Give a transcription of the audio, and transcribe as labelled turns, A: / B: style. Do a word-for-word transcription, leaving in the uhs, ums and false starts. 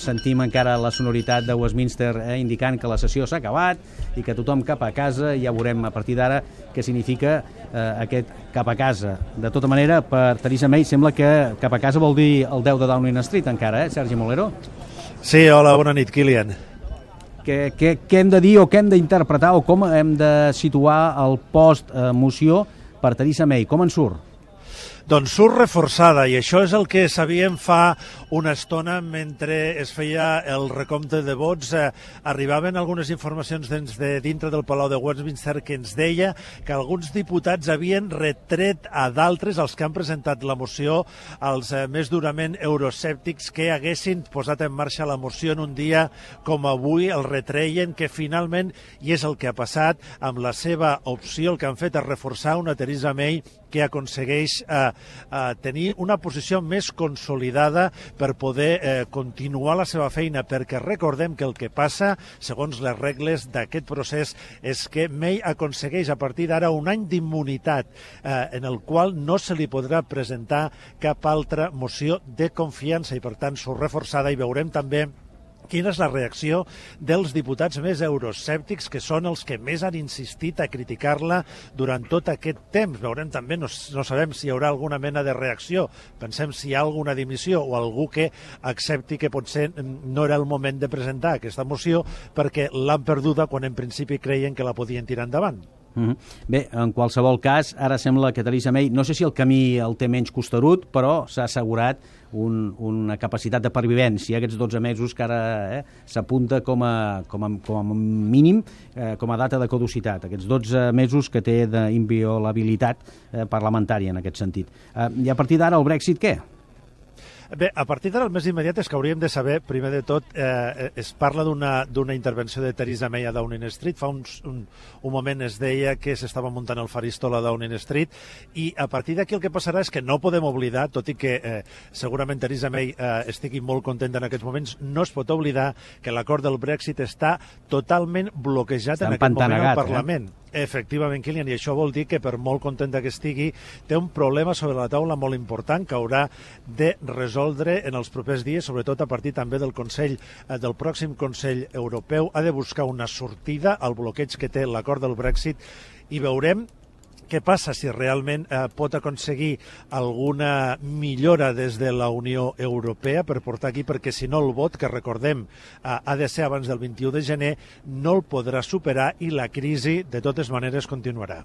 A: sentim encara la sonoritat de Westminster eh, indicant que la sessió s'ha acabat i que tothom cap a casa. Ja veurem a partir d'ara què significa eh, aquest cap a casa. De tota manera, per Theresa May sembla que cap a casa vol dir el deu de Downing Street encara, eh, Sergi Molero?
B: Sí, hola, bona nit, Kilian.
A: Què, què, què hem de dir o què hem d'interpretar o com hem de situar el post-moció per Theresa May? Com en surt?
B: Doncs surt reforçada, i això és el que sabíem fa una estona mentre es feia el recompte de vots. Eh, arribaven algunes informacions dins de dintre del Palau de Westminster que ens deia que alguns diputats havien retret a d'altres, els que han presentat la moció, els eh, més durament euroscèptics, que haguessin posat en marxa la moció en un dia com avui. El retreien, que finalment, i és el que ha passat, amb la seva opció el que han fet és reforçar una Theresa May que aconsegueix eh, eh, tenir una posició més consolidada per poder eh, continuar la seva feina, perquè recordem que el que passa, segons les regles d'aquest procés, és que May aconsegueix a partir d'ara un any d'immunitat eh, en el qual no se li podrà presentar cap altra moció de confiança i per tant surt reforçada, i veurem també quina és la reacció dels diputats més euroscèptics, que són els que més han insistit a criticar-la durant tot aquest temps. Veurem també, no, no sabem si hi haurà alguna mena de reacció, pensem si hi ha alguna dimissió o algú que accepti que potser no era el moment de presentar aquesta moció perquè l'han perduda quan en principi creien que la podien tirar endavant.
A: Mm-hmm. Bé, en qualsevol cas, ara sembla que Theresa May, no sé si el camí el té menys costerut, però s'ha assegurat un, una capacitat de pervivència aquests dotze mesos que ara eh, s'apunta com a, com, a, com a mínim, eh, com a data de caducitat, aquests dotze mesos que té d'inviolabilitat eh, parlamentària en aquest sentit. Eh, I a partir d'ara el Brexit què?
B: Bé, a partir d'ara el més immediat és que hauríem de saber, primer de tot, eh, es parla d'una intervenció de Theresa May a Downing Street. Fa uns, un, un moment es deia que s'estava muntant el faristol a Downing Street, i a partir d'aquí el que passarà és que no podem oblidar, tot i que eh, segurament Theresa May eh, estigui molt contenta en aquests moments, no es pot oblidar que l'acord del Brexit està totalment bloquejat
A: està
B: en aquest moment al
A: eh?
B: Parlament. Efectivament, Kilian, i això vol dir que per molt contenta que estigui, té un problema sobre la taula molt important que haurà de resoldre en els propers dies, sobretot a partir també del Consell, eh, del pròxim Consell Europeu. Ha de buscar una sortida al bloqueig que té l'acord del Brexit, i veurem què passa si realment eh, pot aconseguir alguna millora des de la Unió Europea per portar aquí, perquè si no el vot, que recordem eh, ha de ser abans del vint-i-u de gener, no el podrà superar i la crisi de totes maneres continuarà.